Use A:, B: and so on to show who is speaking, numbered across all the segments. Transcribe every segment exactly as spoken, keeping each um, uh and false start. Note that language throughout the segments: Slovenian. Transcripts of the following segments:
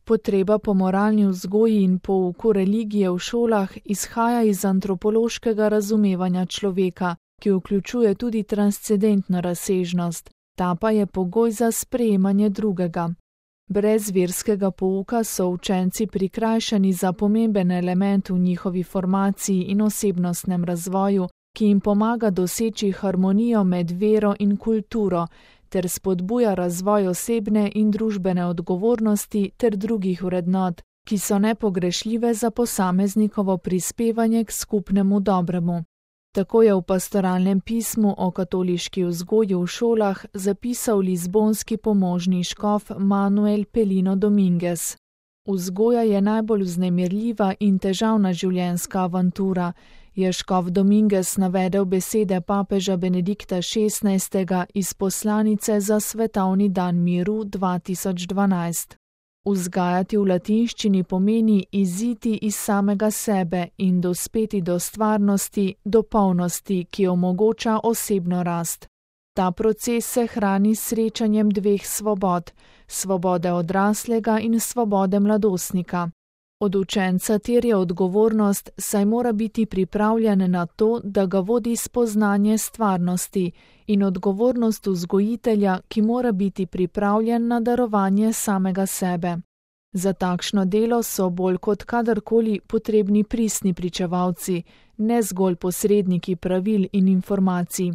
A: Potreba po moralni vzgoji in pouku religije v šolah izhaja iz antropološkega razumevanja človeka, ki vključuje tudi transcendentno razsežnost, ta pa je pogoj za sprejemanje drugega. Brez verskega pouka so učenci prikrajšani za pomemben element v njihovi formaciji in osebnostnem razvoju, ki jim pomaga doseči harmonijo med vero in kulturo, ter spodbuja razvoj osebne in družbene odgovornosti ter drugih vrednot, ki so nepogrešljive za posameznikovo prispevanje k skupnemu dobremu. Tako je v pastoralnem pismu o katoliški vzgoji v šolah zapisal lizbonski pomožni škof Manuel Pelino Dominguez. Vzgoja je najbolj vznemirljiva in težavna življenjska avantura, je škof Dominguez navedel besede papeža Benedikta šestnajstega iz poslanice za svetovni dan miru dva tisoč dvanajst. Vzgajati v latinščini pomeni iziti iz samega sebe in dospeti do stvarnosti, do polnosti, ki omogoča osebno rast. Ta proces se hrani s srečanjem dveh svobod, svobode odraslega in svobode mladostnika. Od učenca terja odgovornost, saj mora biti pripravljen na to, da ga vodi spoznanje stvarnosti, in odgovornost vzgojitelja, ki mora biti pripravljen na darovanje samega sebe. Za takšno delo so bolj kot kadarkoli potrebni pristni pričevalci, ne zgolj posredniki pravil in informacij.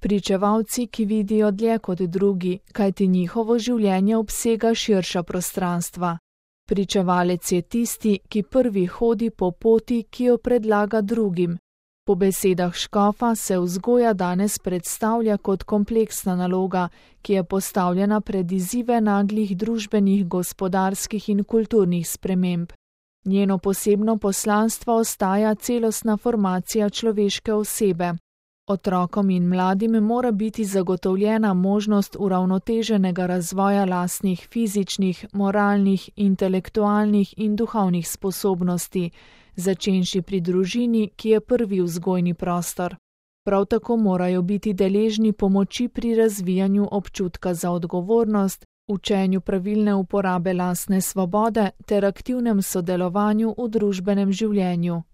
A: Pričevalci, ki vidijo dlje kot drugi, kajti njihovo življenje obsega širša prostranstva. Pričevalec je tisti, ki prvi hodi po poti, ki jo predlaga drugim. Po besedah škofa se vzgoja danes predstavlja kot kompleksna naloga, ki je postavljena pred izzive naglih družbenih, gospodarskih in kulturnih sprememb. Njeno posebno poslanstvo ostaja celostna formacija človeške osebe. Otrokom in mladim mora biti zagotovljena možnost uravnoteženega razvoja lastnih fizičnih, moralnih, intelektualnih in duhovnih sposobnosti, začenši pri družini, ki je prvi vzgojni prostor. Prav tako morajo biti deležni pomoči pri razvijanju občutka za odgovornost, učenju pravilne uporabe lastne svobode ter aktivnem sodelovanju v družbenem življenju.